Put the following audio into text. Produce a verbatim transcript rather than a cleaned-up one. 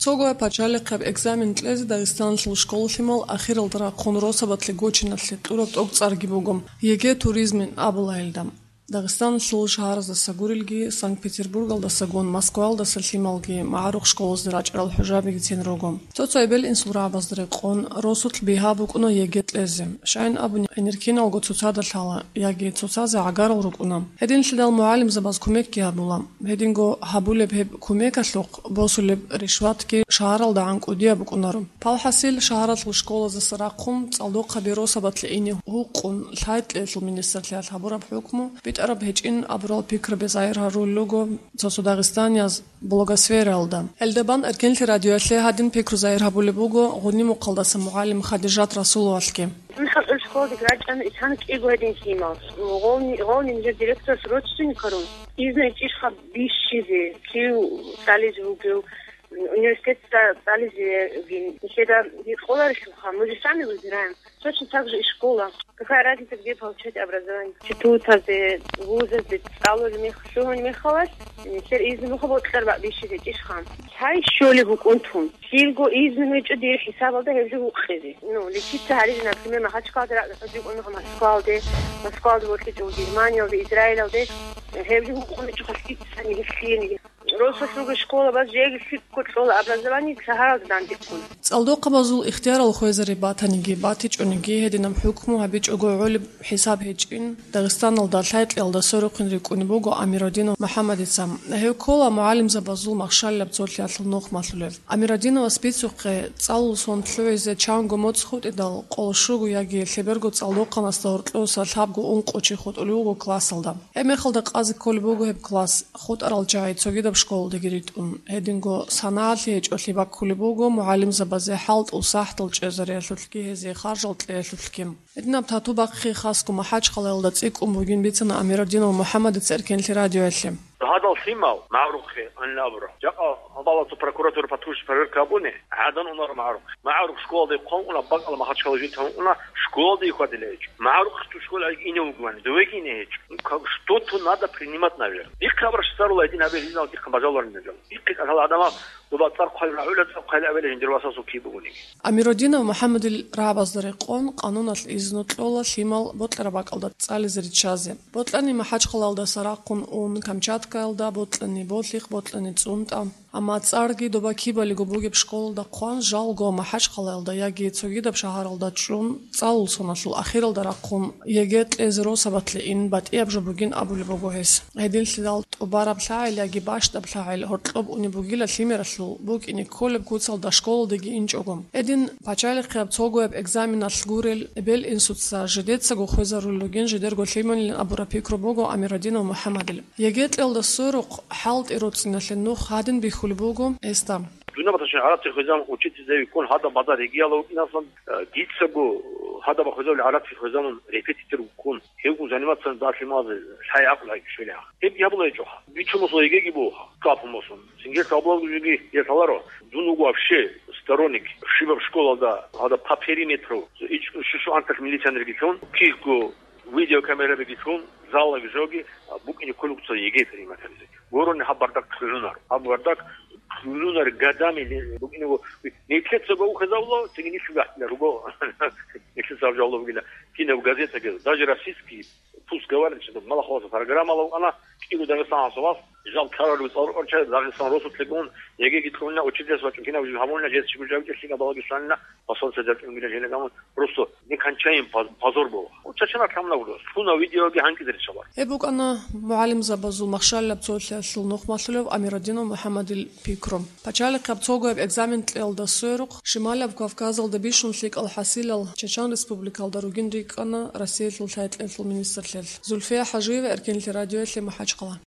Цогояб пачалихъаб экзамен кьезе Дагъистаналъул школа-лъимал ахиралда рахъун росабалъе гочиналъе кьураб тӀокӀцӀарги буго, ЕГЭ туризмин абула гьелда. Дагъистаналъул шагьараздаса гурелги, Санкт-Петербургалдасагун Москваялдаса лъималги магӀарухъ школазде рачӀарал хӀужабигицин руго. Цо-цо эбел-инсул рагӀабазда рекъон, росулъ бигьа букӀуна ЕГЭ кьезе. Щайин абуни, гӀенеккиналго цоцазда лъала яги цоцазе гӀагарал рукӀуна. Гьединлъидал мугӀалимзабаз кумекги гьабула. Гьединго гьабулеб гьеб кумекалъухъ босулеб ришватги шагьаралда гӀан кӀудияб букӀунаро. Палхасил шагьаралъул школаздаса рахъун цӀалдохъаби росабалъе ине гьукъун лъай-кьеялъул министрлъиялъ гьабураб хӀукму битӀараб гьечӀин абурал пикраби загьир гьарулел руго цо-цо дагъистанияз блогосфераялда. Гьелдабан Эркенлъи радиоялъе гьадин пикру загьир гьабулеб буго Гъунимухъалдаса мугӀалим Хадижат Расуловалъги. Нахъа гӀур школадеги рачӀана, исана кӀиго гьедин лъимал. Гъовни, гъовни нижер директорас родственникарун, изна ичӀищха бищизе, кив цӀализе вугев, университетда цӀализеги. Нилъеда гьикъоларелъулха, мы же сами выбираем. Точно так же и школа. Какая разница, где получать образование? Институтазде, вузазде цӀалулев мех-, лъугьун мехалас, нилъер изну буго бокьараб бищизе ичӀищха. Цай щолеб букӀун тун. Лъилго изну гьечӀо дир хӀисабалда гьеб жо гьукъизе. Ну, лечиться гьаризе, например, Махачкалде ракӀалде хӀужи кӀун Москвалде, Москвалде вокьичӀо Германиялде, Израилалде, гьеб жо гьукъун гьечӀо хаситӀани гьелъиениги. Росулъ руго школабаз жеги лъикӀго кьола образование шагьаралда дандеккун. ЦӀалдохъабазул ихтиярал хвезари батаниги, батичӀониги, гьединаб хӀукму гьабичӀого гӀолеб хӀисаб гьечӀин, Дагъистаналда лъай-кьеялда сорухъин рикӀкӀунеб буго Амиродинов МухӀаммадица. Гьев ккола мугӀалимзабазул махщалилаб цолъиялъул нухмалъулев. Амиродиновас бицухъе, цӀалул сон лъугӀизе чанго моцӀ хутӀидал, къоло щуго яги лъеберго цӀалдохъанасда гьоркьоса лъабго-ункъо чи хутӀулев вуго классалда. Гьеб мехалда къазе кколеб буго гьеб класс, хутӀарал чагӀи цогидаб школалдеги ритӀун, гьединго санагӀалъи гьечӀолъи баккулеб буго мугӀалимзабазе хӀалтӀул сахӀтал чӀезариялъулъги гьезие харжал кьеялъулъги. Гьединаб тату бахъи хасго МахӀачхъалаялда цӀикӀкӀун бугин бицана Амиродинов МухӀаммадица Эркенлъи радиоялъе. Гьадал лъимал магӀарухъе анлабура. Жакъа гьабалацо прокуратура патрульщик проверка гьабуни, гӀадан унар магӀарухъе. МагӀарух школалда хъван уна, бакӀала Махачкала житан уна, школалда ихьвадила гьечӀо. МагӀарухъ ту школа ине вугвани, довеги ине гьечӀо. Ну, как, что-то надо принимать, наверное. Дихъе абраш царула гьедин гьабе, гьезал дихъа бажаларин гьезал. Дихъе кӀалъала гӀадамал доба цӀар хъвайла гӀула, цӀар хъвайла абела жиндир васасул киб бугониги. Амиродинов МухӀаммадил рагӀабазда рекъон, къануналъ изну кьола лъимал бокьараб бакӀалда цӀализе риччазе. Бокьани МахӀачхъалаялдаса рахъун ун Камчаткаялда, бокьани Болъихъ, бокьани ЦӀунтӀа. Амма цӀарги доба кибалиго бугеб школалда хъван, жалго МахӀачхъалаялда яги цогидаб шагьаралда чӀун, цӀалул соналъул ахиралда рахъун ЕГЭ кьезе росабалъе ин батӀияб жо бугин абулеб буго гьес. Гьединлъидал тӀубараб лъагӀел яги бащдаб лъагӀел гьоркьоб унеб бугила лъимералъул, букӀине кколеб куцалда школалдеги инчӀого. Гьедин пачалихъияб цогояб экзаменалъ гурел эбел-инсуца жидецаго хвезарулел ругин жидерго лъималилан абураб пикру буго Амиродинов МухӀаммадил. ЕГЭ кьелда сверухъ хӀалтӀи роцӀиналъе нух гьадин бихьулеб буго гьесда. Дунабаташин гӀараци хвезан учительзави ккун гьадаб базар ригияла вукӀинаслан, э, дицаго гьадаб хвезавли гӀараци хвезамун репетитор вуккун. Гьевгун заниматься далъимазе лъай гӀакълу гьайчӀо швелиха. Гьеб гьабулайчӀоха. Бичун мусул ЕГЭги буха, капун мусун. Цинги кабулалгу жеги гьесаларо. Дун вуго вообще сторонник. Шибаб школалда, гьада по периметру, ич-, шушу антах милиционерги лъун, кихго видеокамерабиги лъун, заллаги жоги, а, букӀине кколугу цо ЕГЭ принимать гьабизе. Гурони гьаб бардак лъугӀунар. Гьаб бардак лъугӀунар годами не-, букӀине ву-, нилъеца гов хвезавула, цинги нилъ гьатӀила руго. Нилъеца гьаб жаваб бугила. Кинаб газетаги, даже российский, пусть говорит, что мала хваса программала вукӀана, кӀиго Дагъистаналъул вас, жал карару цӀалрукъарча, Дагъистан росулъегун, ЕГЭги кьуна, учительс вачӀун кинаб жив гьамулна, жес чигу жавги лъига балагишланна, посольство деркӀунгила жина гамун, просто не кончаем поз-, позор было. Вот чачана тамна гуро, суна видеоги гьанкӀизе риччалар. Гьеб букӀана мугӀалимзабазул махщалилаб цолъиялъул нухмалъулев Амиродинов МухӀаммадил пикру. Пачалихъаб цогояб экзамен кьелда сверухъ, Шималаб Кавказалда бищун лъикӀал хӀасилал Чечан Республикалда ругин рикӀкӀана Россиялъул лъай-кьеялъул министрлъиялъ. Зульфия ХӀажиева, Эркенлъи радиоялъе, МахӀачхъала.